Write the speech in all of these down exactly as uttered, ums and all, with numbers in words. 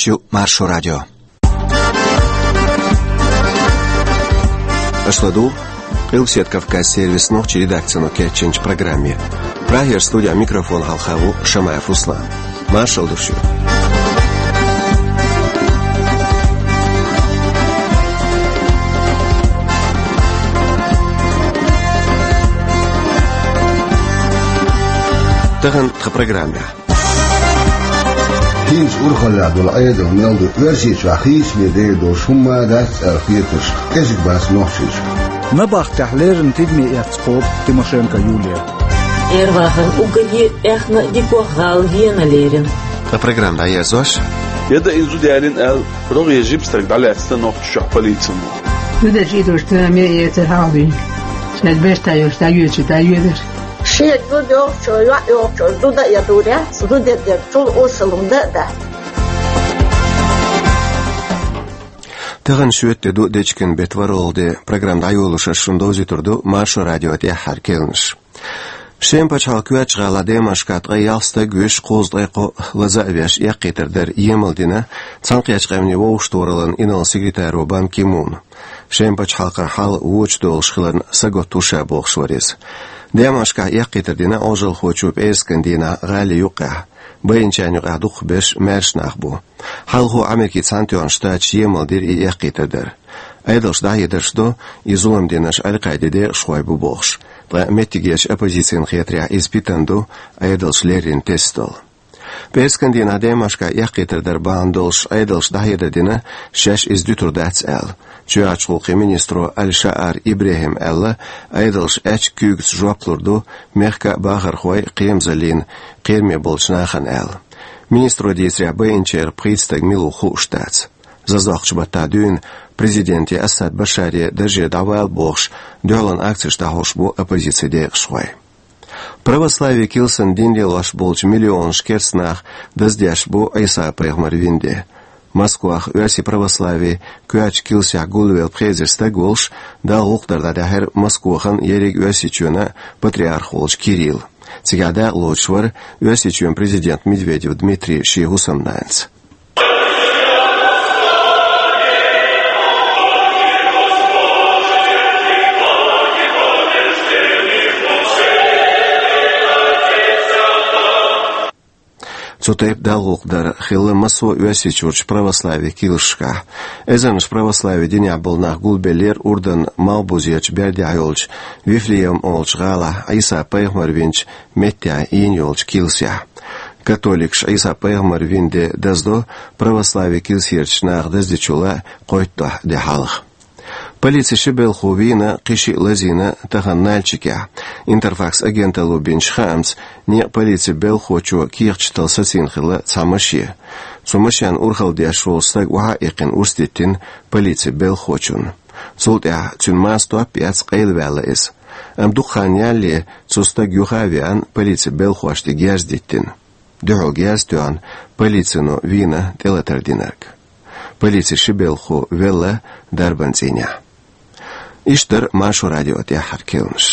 Шу Маршо радио. Аша ладугӀу Къилбаседа Кавказан сервисан нохчийн редакцино кечйинчу программе. Прагера студехь микрофон хьалха ву Шамаев Руслан. Маршалла ду шуьга. Тахана тхан программехь. ХӀинца урхаллехь долу Ӏедал мел ду, Оьрсийчохь хийцаме дер долуш хӀумма а дац аьлла хетарш кӀезиг бац нохчийчохь. Набахтехь леррина тидаме эцна кхобу Тимошенко Юлия. Эрвахана уггаре а аьхна а дикох гӀала Вена лерина. Ткъа программа дӀаерзош. Яда, иза зуда ялийна аьлла, рогӀера жима стаг дӀалаьцна Нохчийчохь полицино. Зуда чӀидош таме эца хьалвин. Шаьш беш тайош дӀайоьдуш дӀайоьдуш. Шен зуда йохчо, йоӀ йохчо, зуда а ядур яц, зуда дерг цул осалун дан а дац. Тахана шоьтан де ду, дечкен беттан ворхӀалгӀа де. Программа дӀайолош ас шуна довзуьйтур ду Маршо радион тӀаьххьара керланаш. Шеман пачхьалкхан коьртачу гӀалахь Демашкахь ткъе ялх стаг вуьйш, кхузткъе кхоъ лаза а веш, эккхийтар дар емал дина Цхьаьнакхеттачу Къаьмнийн Вовшахтохараллин инарла-секретаро Бан Ки Муна. Шеман пачхьалкхана хьал вочу долуш хиларна сагатта ву ша бохуш вара иза. Демашкахь эккхийтар дина Ӏожалхочо пӀераскан дийнахь гӀали юккъехь. Байинчарна юкъахь дукхахберш маьрша нах бу. Хьалхо Америкин Цхьаьнатоьхначу Штаташа емал дира и эккхийтар дар. Ӏедалша дӀахьедарш до, и зулам динарш Аль-Къаидин декъашхой бу бохуш. Ткъа меттигерчу оппозицина хетарехь, иза питана ду, Ӏедалша леррина тесна долу. ПӀераскан дийнахь Демашкахь эккхийтар дар бахьана долуш Ӏедалша дӀахьедар дина, шаьш иза дуьтур дац аьлла. Чоьхьарчу гӀуллакхийн министро Аль-Шаар ИбрахӀима аьлла, Ӏедалша аьчка куьйгаца жоп лур ду мехкан а бахархойн а, кхерамазаллин а кхераме болчу нахана аьлла. Министро дийцарехь, байинчарах пхийтта стаг мила ву хууш дац. Заздоккхучу баттахь дуьйна президенте Асад Башаре даржера дӀавала бохуш, дуьхьалан акцеш дӀахьош бу оппозицин декъашхой. Православин килсан дин лелош болчу миллионаш керста нах даздеш бу Ӏийса-пайхамаран вина де. Москвахь оьрсийн православин коьртачу килсехь гулвелла пхи эзар стаг волуш, Далла гӀуллакх дар дӀадаьхьира Москвахана, ерриг Оьрсийчоьнан патриарх волчу Кирилла. Цигахь дакъа лоцуш вара Оьрсийчоьнан президент Медведев Дмитрий шен хӀусамнанас. Цу тайпа Далла гӀуллакх дар хилла массо а Оьрсийчуьрчу православин килсашкахь. Эзарнаш православин динехь болу нах гулбеллера Урданан малхбузерчу бердехь йолчу Вифлеем олучу гӀалахь, Ӏийса-пайхамар винчу меттехь йина йолчу килсехь. Католикаша Ӏийса-пайхамаран вина де даздо православин килсерчу наха даздечул а кхойтталгӀа де хьалха. Полицин ши белхало вийна, кхин шиъ лазийна тахана Нальчикехь. Интерфакс агенталло бинчу хаамца, некъан полицин белхалочо кехаташ тала сацийна хилла цхьа машен. Цу машенна урхалла деш волу стаг охьа а иккхина урс диттина полицин белхалочунна. Цул тӀаьхьа цуьнан маса топ а эцна къайлаваьлла иза. Амма дукха хан ялале цу стага юха а веана, полицин белхалошна тӀе герз диттина. Дуьхьал герз а тоьхна, полицино вийна тӀелатар динарг. Полицин ши белхало велла дарбан цӀийнехь. Иштта дара Маршо радион тӀаьххьара керланаш.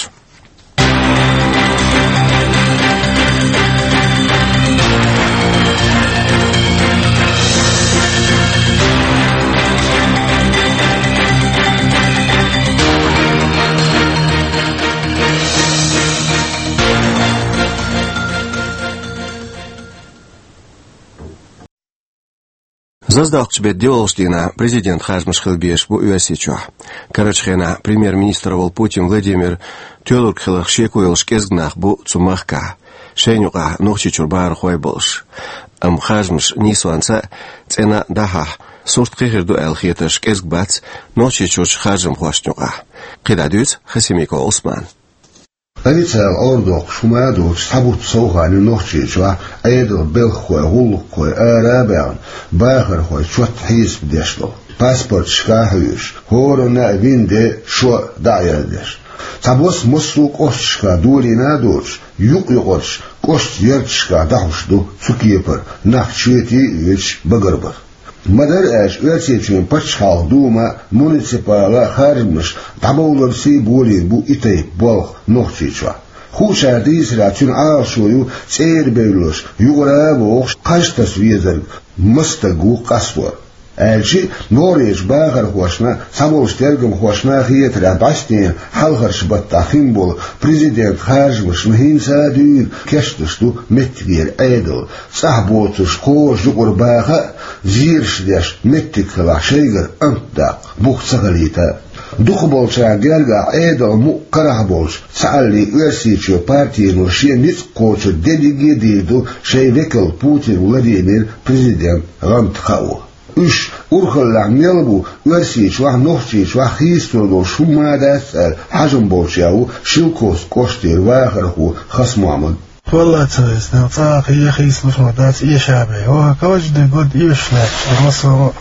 Заздоккхучу беттан диъолгӀачу дийнахь президентан харжамаш хила безаш бу Оьрсийчохь. Карарчу хенахь премьер-министр волу Путин Владимир тоьлург хиларх шеко йолуш кӀезиг нах бу цу махкахь, шайна юкъахь Нохчийчуьра бахархой а болуш. Амма харжамаш нийсонца а, цӀена а дӀахьахь, сурт кхин хир ду аьлла хетарш кӀезиг бац Нохчийчуьрчу харжамхошна юкъахь. КхидӀа дуьйцу Хасимиков Ӏусмана. Официалан Ӏордохуш хӀума а доцуш, цхьа бутт сов хан ю Нохчийчохь Ӏедалан белхахой, гӀуллакххой ара а баьхна, бахархой чот хьесап деш долу. Паспорташка а хьуьйсуш, хӀоранна а вина де, шо а дӀа а яздеш. Цхьабосса массо а кӀошташкахь долийна а доцуш, юкъ-юкъарчу кӀоштан ярташкахь дӀахьуш ду цу кепара нах чоьте а воьдуш багарбан. Ма-дарра аьлча, Оьрсийчоьнан пачхьалкхан дума муниципалан харжамаш дӀабовларца а болийна бу и тайпа болх Нохчийчохь. Хуучара дийцарехь, цуьнан Ӏалашо ю цӀера бевлларш, юкъара а вогӀуш, кхаж таса везарг маса стаг ву къастор. Аьлча а, нохчийн бахархошна, цхьаболчу тергамхошна хетарехь, бӀаьстенан хьалхарчу баттахь хин болу президентан харжамашна хӀинца а дуьйна кечдеш ду меттигера Ӏедал. ЦӀахь боцурш кхажа юкъара баха а, зераш деш меттиг хилахь, шайгара амат даккха бух ца хилийта а. Дукхахболчарна гергахь, Ӏедалан мукъ карахь болчу цхьааллин Оьрсийчоь партино шен ницкъ кхочург дерриге а дийр ду шайн векал Путин Владимир президент гӀанта хаа. Уьш урхаллехь мел бу Оьрсийчохь, Нохчийчохь хийцалур долуш хӀумма а дац аьлла, хьажам болчех ву Шелковски кӀоштара вахархо Хасмохьмад. Валлахь, ца веза, цӀа а хийцалуш ма дац, эшабе. Ва каждый год эшаш лаьтташ ду массо а.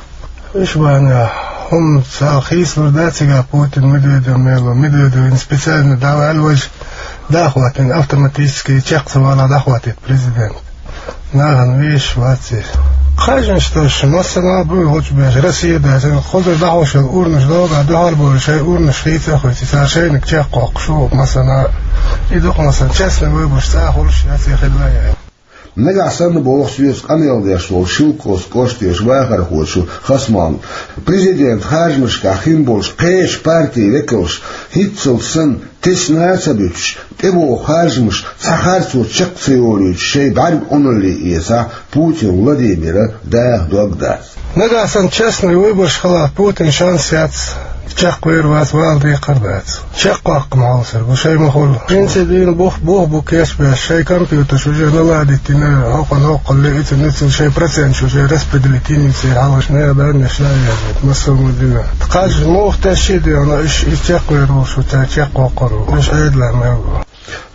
Уьш бахьана хӀума цхьа хийцалур дац, цигахь Путин, Медведев мело, Медведев специально дӀаваьлла вайша дӀахӀоттийна, автоматически чекх ца валахь дӀахӀоттийта президент. Нахана везаш вац иза. Кхажанаш тосуш массанхьа а буй гучубеш, Россия даьлча, кхузара дӀахьош йолу урнаш догӀу, дуьхьал болу шайн урнаш хийца а хуьйций, цара шайниг чекхвоккхуш ву массанхьа а. И дукха массанхьа частный выбораш цӀа а хуьлуш яц, я хилла а яц. Нагахь санна, боху соьца къамел деш волу Шелковски кӀоштара вахархочо Хасмохьмада, президентан харжамашкахь хин болчу кхечу партийн векалш хӀинццалц санна тесна а ца буьтуш, тӀебогӀу харжамаш цхьа харцо чекх ца йолуьйтуш шайн бӀаьрг Ӏуналле эцахь, Путин Владимира даха дог дац. Нагахь санна частный выбораш хилахь, Путина шанс яц, чекхвер вац, вала декхар дац. Чекхваккха ма хьовсур бу, шайн ма хуьлу. Жинца дийна бух, бух бу кечбеш, шайн компьютерш уже наладить йина, хӀокхунна хӀокхулле, иццунна иццунна шайн проценташ уже распределить йина, церан хьалхашна а, даннашна а яздина, массо а ма дина. Кхаж муха тесча а дегӀана, уьш, уьш чекхвер волуш ву, цара чекхвоккхур ву. Уьш Ӏедалан мел бу.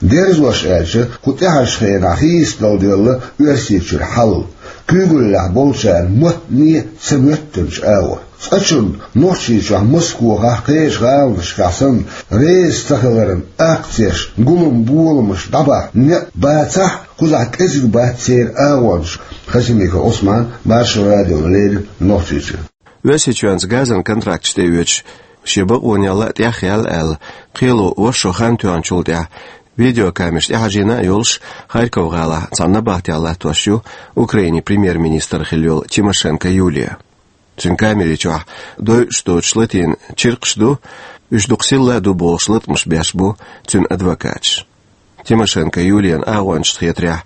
Дерзош аьлча, кху тӀаьхьарчу хенахь хийцадала девлла Оьрсийчуьра хьал, куьйгаллехь болчарна моттане а ца моьттинчу агӀор. Цкъачунна Нохчийчохь, Москохахь, кхечу гӀаланашкахь санна, реза ца хиларан акцеш, гулам-боламаш дӀабахьа некъ бацахь а, кхузахь кӀезиг бац церан агӀонаш. Хасимиков Ӏусман, Маршо радиона леррина Нохчийчуьра. Оьрсийчоьнца газан контракташ тӀеоьцуш, шен бакъонех ла а тӀехъяьлла аьлла, кхело ваьш шо хан тоьхначул тӀаьхьа видеокамераш тӀехьажийна а йолуш, Харьков-гӀалахь цхьана набахтехь латтош ю Украинин премьер-министр хилла йолу Тимошенко Юлия. Цуьнан камери чохь дойуш доцуш латийна чиркхаш ду, уьш дукха сирла а ду бохуш латкъамаш беш бу цуьнан адвокаташ. Тимошенко Юлиян агӀончашна хетарехь,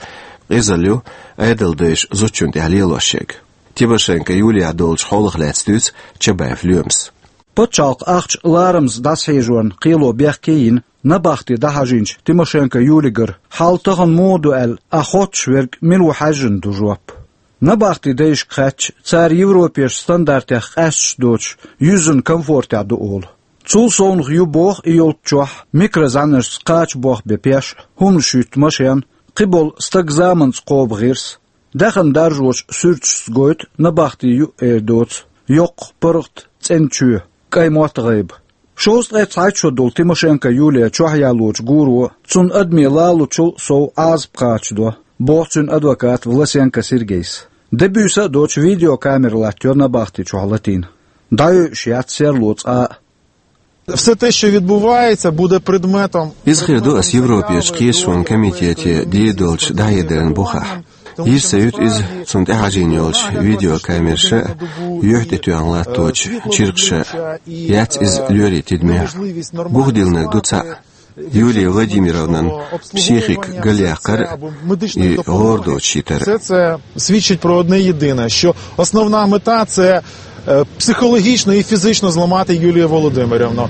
къизалла ю Ӏедалдайша зудчунна тӀехь лелош ерг. Тимошенко Юлиях долчу хьолах лаьцна дуьйцу Чабаев Лоьмас. Пачхьалкхан ахча, ларамаза дӀасахьежорна кхело бехке а йина, набахте дӀахьажийначу Тимошенко Юлигара, хьал тахана муха ду аьлла, ахь хоттуш верг мила ву хьаьжжина ду жоп. Набахтин дайшка хаьттича, цара Европерчу стандартех къаьсташ доцуш, юьззина комфортехь ду олу. Цул совнаха ю боху и йолччохь микрозӀаьнаршца кхача бох бен пеш, хӀуманаш юьтта машен, кхиболу стаг заманца кхобу гӀирс. Даьхни даржочу суьрташца гойту набахти ю эр доцу йоккха паргӀат цӀена чоь, кӀайн мотт гӀайба. Шовзткъе цхьайтта шо долу Тимошенко Юлия чохь ялочу гуро, цунна адамийн лалучул сов Ӏазап кхачадо, боху цуьнан адвоката Власенко Сергейс. Де буьйса а доцуш видеокамера латтайо набахти чохь латийна. ДӀайойуш яц серло цкъа а. Все те, що відбувається, буде предметом... Иза хир ду ас Европерчу кхеташонан комитете дийр долчу дӀахьедаран бухахь. Йиш ца юьту иза цунна тӀехьажийна йолчу видеокамераша а, юьхь тӀетоьхна латточу чиркхаша а. Яц иза лоьрийн тидамехь. Бух диллинарг ду цхьаъ: Юлия Владимировнан психика галъяккхар а, и гӀора доцуш йитар а. Все це свідчить про одне єдине, що основна мета — це, е, психологічно і фізично зламати Юлію Володимирівну.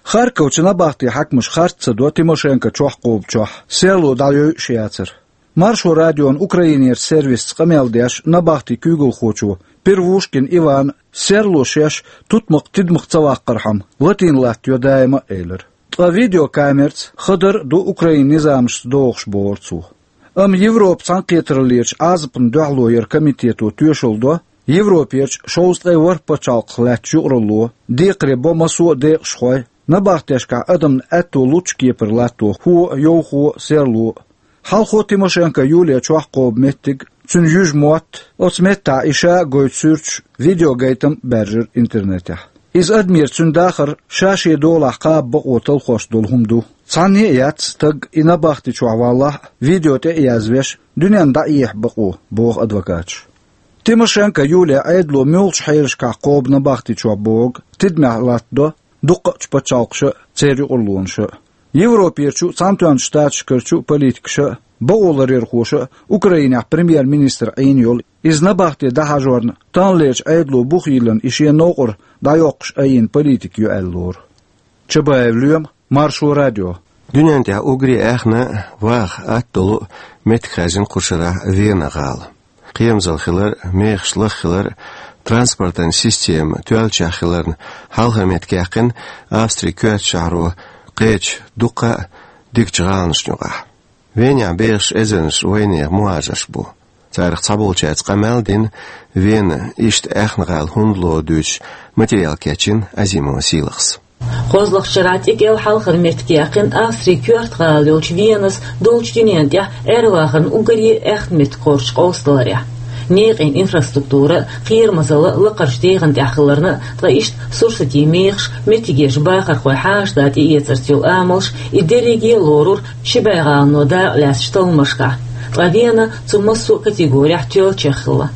Харьковчу набахти хьаькамаша харц ца до Тимошенко чохь кхобучохь серло дӀайойуш яцар. Маршо радион Украинерчу сервисца къамел деш набахти куьйгалхочо Первушкин Ивана серло шаьш тутмакх-тидамах ца ваккхархьама латийна латтайо даима а элира. Ткъа видеокамерца хадара а ду Украинан низамашца догӀуш, бохура цо. Амма Европан цхьаьнакхетараллерчу Ӏазапна дуьхьало яран комитето тоьшалла до, Европерчу шовзткъе ворхӀ пачхьалкхах лаьттачу юкъаралло, декхаре бо массо а декъашхой, набахтешкахь адамна аьтто лучу кепара латто хӀо а, йовхо а, серло а. Хьалхо Тимошенко Юлия чохь кхобу меттиг, цуьнан юьжа мотт, оцу меттехь и ша а гойту суьрташ, видеогайтам а баьржира интернетехь. Иза адамера цуьнан дахар ша шен долахь кхаба бакъо талхош долу хӀума ду. Цхьанне а яц стаг и набахти чохь валлахь а, видео тӀе а язвеш, дуьненна дӀаэха бакъо, боху адвокаташа. Тимошенко Юлия Ӏедало муьлхачу хьелашкахь кхобу набахти чохь бохург тидамехь латтадо дуккха а чу пачхьалкхаша а, церан юкъарлонаша а. Европерчу а, Цхьаьнатоьхначу Штаташкарчу а политикаша а, бакъоларъярхоша а Украинехь премьер-министр Ӏийна йолу, иза набахте дӀахьажорна, таханлерчу Ӏедало бух йиллина и шен новкъара дӀайоккхуш айина политика ю аьлла лору. Чабаев Лоьма, Маршо радио. Дуьнен тӀехь уггаре а аьхна а, ваха атта долу а меттиг хаьржина кху шарахь Вена гӀала. Кхерамзалла хилар, мехаш лаха хилар, транспортан система тоьллачех хиларна, хьалхара меттиг яьккхина Австрин коьртачу шахьаро кхечу дуккха а дикачу гӀаланашна юкъахь. Венехь бехаш эзарнаш вайнехан мухӀажарш бу. Царах цхьаболчаьрца къамел а дина, Вена иштта аьхна гӀала хӀунда лору дуьйцуш, материал кечйина Азимова Сийлахьс. КхозлагӀчу шарахь цӀе кӀел хьалхара меттиг яьккхина Австрин коьрта гӀала йолчу Венас долчу дуьненна тӀехь Ӏер-вахарна уггаре а аьхна меттиг кхочуш къовсадаларехь. Некъан инфраструктура а, кхерамазалла а лакхарчу дегӀан тӀехь хиларна а, ткъа иштта сурсатийн мехаш, меттигерчу бахархойн хьаша-да тӀеэцарца йолу амалш, и дерриге а лорура ши бӀе гӀалано дакъа лаьцначу талламашкахь, ткъа Вена цу массо а категорехь тоьллачех хилла.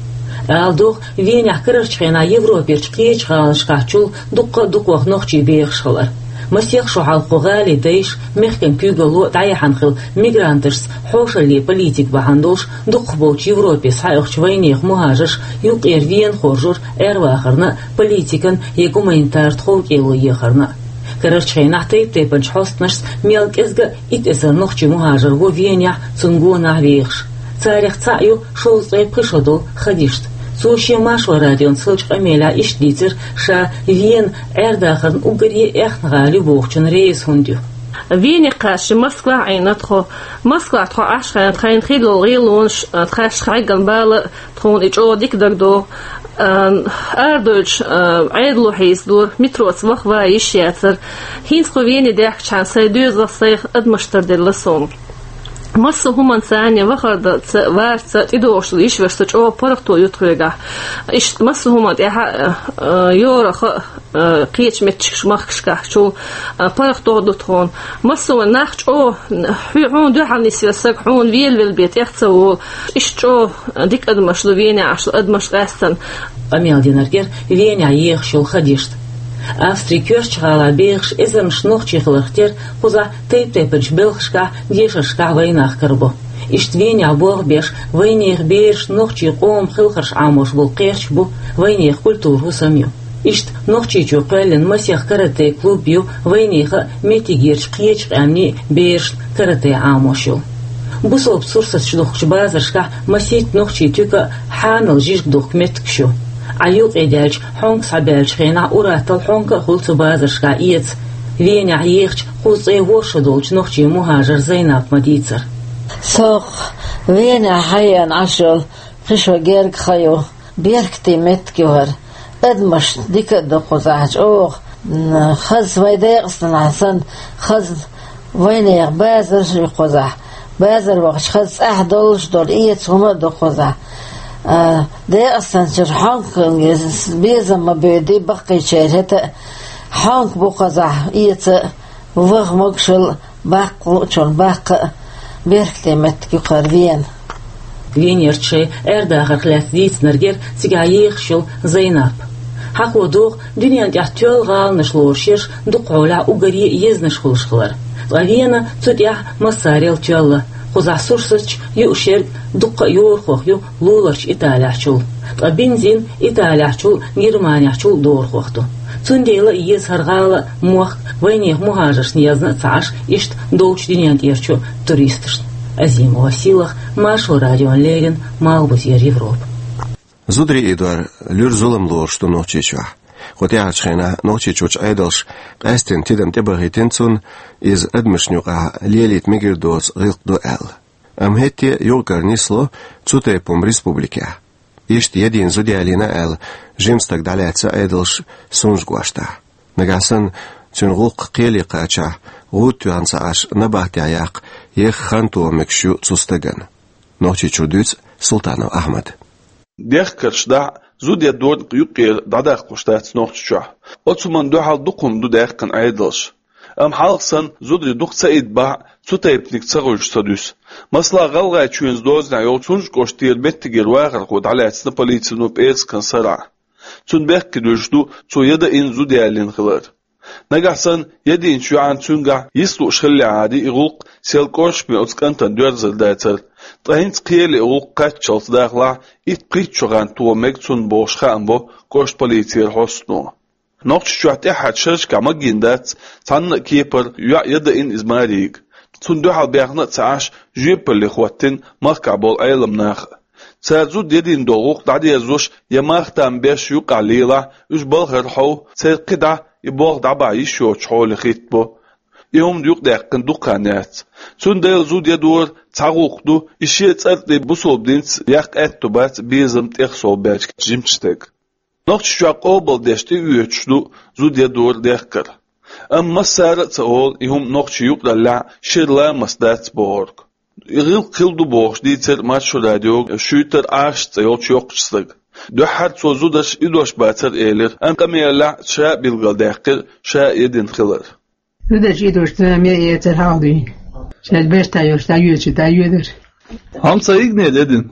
Ала догӀу, Венехь карарчу хенахь Европерчу кхечу гӀаланашкахьчул дуккха а дукхох нохчий бехаш хилар. Масех шо хьалха кху гӀалин дайша, мехкан куьйгалло а дӀаяьхьна хилла, мигранташца хьошаллин политика бахьана долуш, дукхахболчу Европе схьаоьхучу вайнехан мухӀажарша юккъера Вена хоржура Ӏер-вахарна а, политикан я гуманитар тховкӀело ехарна а. Карарчу хенахь тайп-тайпанчу хьостанашца мел кӀезга а итт эзар нохчи мухӀажар ву Венехь, цунна гонах вехаш. Царах цхьаъ ю шовзткъе пхи шо долу Хадишта. Цо шен Маршо радиона хиллачу къамелехь иштта дийцира ша Вена Ӏер-дахарна уггаре а аьхна гӀала ю бохучунна реза хӀунда ю. Вене кхаьчча Москвахь Ӏийна тхо. Москвахь тхо Ӏаш хенахь тхайна хилла йолу гӀелонаш, а, тхаьш хьегна бала а, тхуна и чӀогӀа дика дагадогӀу. А, арадоьдуш, а, Ӏедало хьийзадора, метроца ваха ван йиш яцара. ХӀинца кху Вене даьхкичхьана сайн доьзалх, сайх адамаш тарделла суна. Массо а хӀуманца, вахарца, варца тӀедогӀуш йиш-вешан чӀогӀа паргӀато ю тхоьгахь. Иштта массо а хӀуманна тӀехь а, а, йорах а, а, кхечу меттигашкахь, махкашкахьчул, а, паргӀато ду тхуна. Массо а нах чӀогӀа, хьу-, хьуна дуьхьал нисвелла саг хьуна велавелла бен тӀех ца волу. Иштта чӀогӀа дика адамаш ду Венехь Ӏаш адамаш къаьстина. Къамел динарг яра Венехь ехаш йолу Хадишта. Австрин коьртачу гӀалахь бехаш эзарнаш нохчий хиларх тера кхузахь тайп-тайпанчу белхашкахь, дешаршкахь вайнах карабо. Иштта Венехь болх беш, вайнехан берашна нохчийн къоман хелхарш Ӏамош болу кхерч бу, вайнехан культура хӀусам ю. Иштта Нохчийчу кхоьллина масех каратэ клуб ю, вайнехан а, меттигерчу кхечу къаьмнийн а берашна каратэ Ӏамош йолу. Бусалба сурсаташ духкучу базаршкахь масийтта нохчийн туька а, хьанал жижиг духку меттигаш ю. Ӏа юкъе даьлча, хьонка схьабаьллачу хенахь ур-атталла хьонка а хуьлу цу базаршкахь эца. Венехь ехачу кхузткъе ворхӀ шо долчу нохчийн мухӀажар Зайнап ма-дийцара. Со Венехь хьаеана Ӏаш йолу пхи шо герга хан ю. Беркате меттиг ю хӀара. Адамаш дика а ду кхузахь чӀогӀа. М, хаза вайн Декъастанахь санна, хаза вайнехан базар ю кхузахь. Базар вахча хаза цӀахь долуш долу эца хӀума а ду кхузахь. А, Декъастанчуьра хьонка безам ма боьдий баккхийчеран хӀета а. Хьонка бу кхузахь эца а, ваха могушалла а, баккха луучунна баккха а, беркате меттиг ю хӀара Вена. Венерчу шайн аьрдахарх лаьцна дийцинарг яра цигахь ехаш йолу Зайнап. Хьахо догӀу, дуьненна тӀехь тоьлла гӀаланаш лоруш ерш дукха хьолехь уггаре а езанаш хуьлуш хилар. Ткъа Вена цу тӀехь массарел тоьлла. Кхузахь сурсаташ юуш ерг дуккха а йорахох ю луларчу Италехьчул. Ткъа бензин Италехьчул, Германехьчул дорахох ду. Цундела а еза хӀара гӀала а, мохк а вайнехан мухӀажаршна язна а ца Ӏаш, иштта долчу дуьненна тӀерачу туристашна. Азимова Сийлахь, Маршо радиона леррина, Малхбузера Европа. Зударий идор луьра зулам лоруш ду Нохчийчохь. Кху тӀаьхьарчу хенахь Нохчийчуьрчу Ӏедалша къаьсттина тидам тӀебахийтина цунна, иза адамашна юкъахь лелийта мегар доцу гӀиллакх ду аьлла. Амма хӀетте а юкъ-кара нисло цу тайпа хӀума республикехь. Иштта ядийна зуда ялийна аьлла, жима стаг дӀалаьцна Ӏедалша Сунжа кӀоштахь. Нагахь санна цуьнан гӀуллакх кхеле кхачахь, гӀуда тоьхна ца Ӏаш, набахтехь яккха еха хан тоха мегаш ю цу стагана. Нохчийчуьра дуьйцу Султанов Ахьмада. Дехкарш дахь а, зуда ян дорнакъ юккъера дӀадаккхалуш дац Нохчийчохь. Оцу хӀуманна дуьхьал дукха хӀума ду даьккхина Ӏедалша. Амма хьалха санна зударий дукха ца идда бахьа, цу тайпаниг ца гӀуьжуш ца дуьсу. Масала, ГӀалгӀайчоьнца дозанехь йолчу Цунжа кӀоштера меттигера вахархо дӀалаьцна полицино пӀераскан сарахь. Цунна бехке дуьллуш ду, цо яда йина зуда ялийна хилар. Нагахь санна, яда йинчу йоьӀан цуьнгахь йист лууш хиллехьара, и гӀуллакх сел кӀоршаме оцу кӀантана доьрзур дацара. Ткъа хӀинца кхеле и гӀуллакх кхаччалц дахалахь, итт-пхийтта шо хан тоха мега цунна бохуш хаам бо кӀоштан полицера хьостано. Нохчийчохь тӀаьххьарчу шерашкахь магийна дац цхьанна а кепара йоӀ яда йина иза маре йига. Цунна дуьхьал баьхна а ца Ӏаш, жоьпалле хӀоттийна махкахь болу Ӏелам нах а. Цара зуда ядийна долу гӀуллакх дӀадерзош я мах-там беш юккъехь лелахь, уьш балхара хьов, церан кхидӀа и болх дӀабахьа йиш йоцучу хьоле хӀиттабо. И хӀума юкъадаьккхина дукха хан яц. Цундела зуда ядор цхьа гӀуллакх ду, и шен цӀарна тӀе бусалба динца яккха аьтто бац безам тӀехсолбаьллачу жимачу стеган. Нохчийчохь къобалдеш тӀеоьцуш ду зуда ядор дехкар. Амма массара а ца олу, и хӀума нохчийн юкъараллехь шира ламаст дац бохург. И гӀиллакх хилла ду бохуш дийцира Маршо радиога Шуьйтар Ӏаша цӀе йолчу йоккхачу стага. Дуьххьара цо зударш идош бацара элира, амма къамелехь ша а билгалдаьккхира ша а ядина хилар. Зударш идош ца ме эцар хьалдуьйна. Шаьш беш дӀайоьдуш дӀайоьдуш дӀайоьдура. Хьо ца йигнера ядина?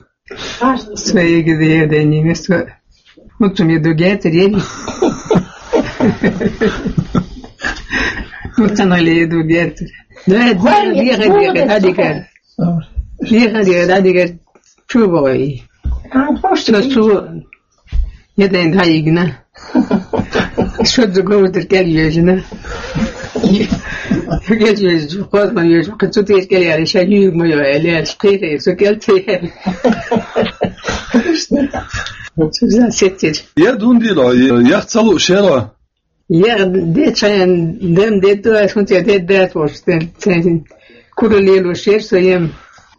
Со йигнера ядина, со. Муццум я ду герцер ели. Муццанали я ду герцер. Да, да, леха, леха, да, дигар. Леха, леха, да, дигар. Чу бой. Со су я дайн да йигна. Шо ду гудер кел йежна. Кел йежу, козма йежу, кацу тер кел яри, ша юг ма йо, эли, шкире, су кел те. Суза сеттер. Я дундиро, я цалу шеро. Я де чаян, дем де ту, а шун те де да, вот, тен, тен, куру лелу шер, со ем.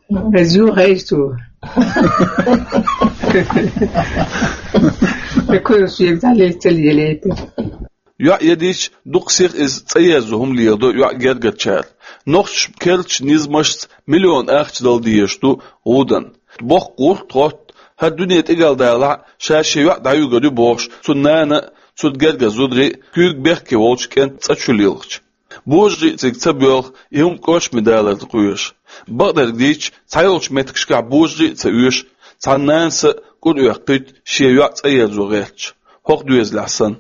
Зу хайсу. Куру шер, да ле, тел еле. ЙоӀ ядийча, дукха сиха иза цӀа ерзо хӀума леладо йоӀ гергарчара. Нохчаша керлачу низамашца миллион ахча дала дезаш ду гӀуданна. Боккха гӀурт хӀотта, хӀара дуьне тӀе галдалахь а, ша шен йоӀ дӀаюьгур ю бохуш, цуьнан нана а, цунна гергара зударий а куьйга бехке волчу кӀентан цӀа чу лилхича. Божарий а цига ца боьлху, и хӀума кӀоршаме даларна кхоьруш. Бакъдерг дийцича, цхьайолчу меттигашкахь божарий а ца оьшу, цхьана нанас а кӀур оьккхуьйту шен йоӀ цӀа ерзо гӀерташ, хӀокху доьзалехь санна.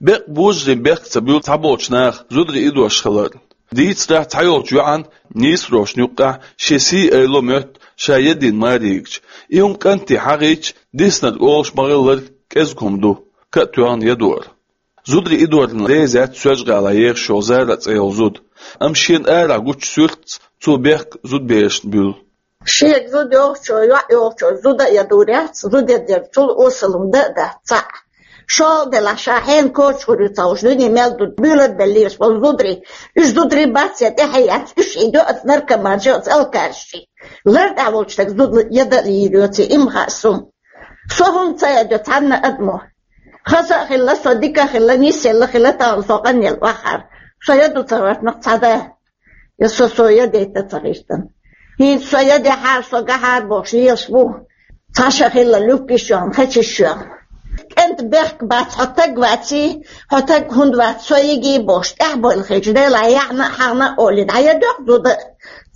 Бекъа божарийн бехк ца буьллу цхьаболчу наха зударий идош хилар. Дийцарехь, цхьайолчу йоӀан нийсарошна юккъехь шен сий-айло моьтту ша ядийна маре йигча. И хӀума кӀанте хьахийча, диснарг олуш ма-хиллара, кӀезиг хӀума ду, ка а тоьхна ядор. Зударий идорна реза яц Соьлжа-ГӀалахь ехаш йолу Зара цӀе йолу зуда. Амма шена арахь гучу суьртаца цо бехк зудаберашна буьллу. Шега зуда йохчо, йоӀ йохчо, зуда а ядур яц, зуда ядерчул осалун дан а дац цхьаъ. ШолгӀа делахь, ша хьенан коча гӀур ю ца хууш, дуьне мел ду буьйлабеллераш болу зударий. Уьш зударий бац я тӀаьхье яц, уьш хьийдо оцу наркоманчий, оцу алкашчий. Лар тӀехь волчу стага зуда яда а лийр йоций, и ма хаьа суна. Со хӀума ца ядо цхьанна адамо. Хаза а хилла, со дика а хилла, нисъелла хилла, тахана со къанъелла охьахьара. Со яду ца гӀоьртина цхьа да. Я со, со ядайта ца гӀиртина. ХӀинца со ядехьара, со гахьара бохуш лелаш бу. Цхьа ша хилла, люккиш йоьхна, хечиш йоьхна. КӀентан бехк бац, хьо таг ваций, хьо таг хӀунда вац, со йигий бохуш, тӀаьхьабойла хилча, Делахь яхьна а, хьахна а олий, дӀаядоьху зуда.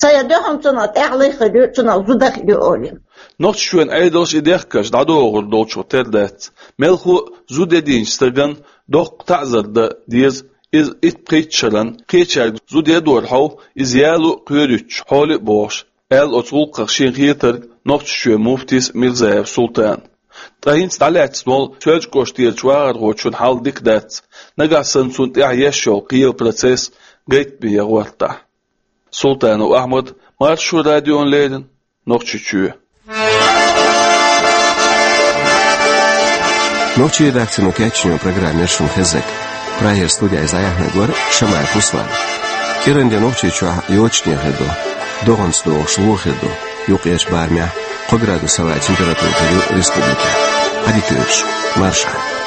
Ца ядоьхна цунах тӀаьхьалуй хир ю, цунах зуда хир ю олий. Нохчийчоьнан Ӏедалш и дехкарш дӀадохур долчух тера дац. Мелхо а зуда ядийначу стагана доккха таӀзар дан деза, иза итт-пхийтта шарна, кхечаьрга зуда ядор хьов, иза яло а кхоьруьйтуш хьоле а бохуш, аьлла оцу гӀуллакхах шена хетарг Нохчийчоьнан муфтис Мирзаев Султана. Ткъа хӀинца дӀалаьцна волу Соьлжа кӀоштерчу вахархочун хьал дика дац, нагахь санна цунна тӀехь еш йолу кхелан процесс гайтаме ян гӀортахь. Султанов Ахьмад, Маршо радиона леррина, Нохчийчоь. Нохчийн редакцино кечйинчу программе шуна хезнарг. Прагера студехь иза дӀаяьхьнарг вара Шамаев Руслан. КӀиранде Нохчийчохь йочане хир ду, догӀанца догӀуш ло хир ду юккъерчу барамехь. Кхо градус авай температура тӀа я республикай. Ӏадика йойла шун. Маршал.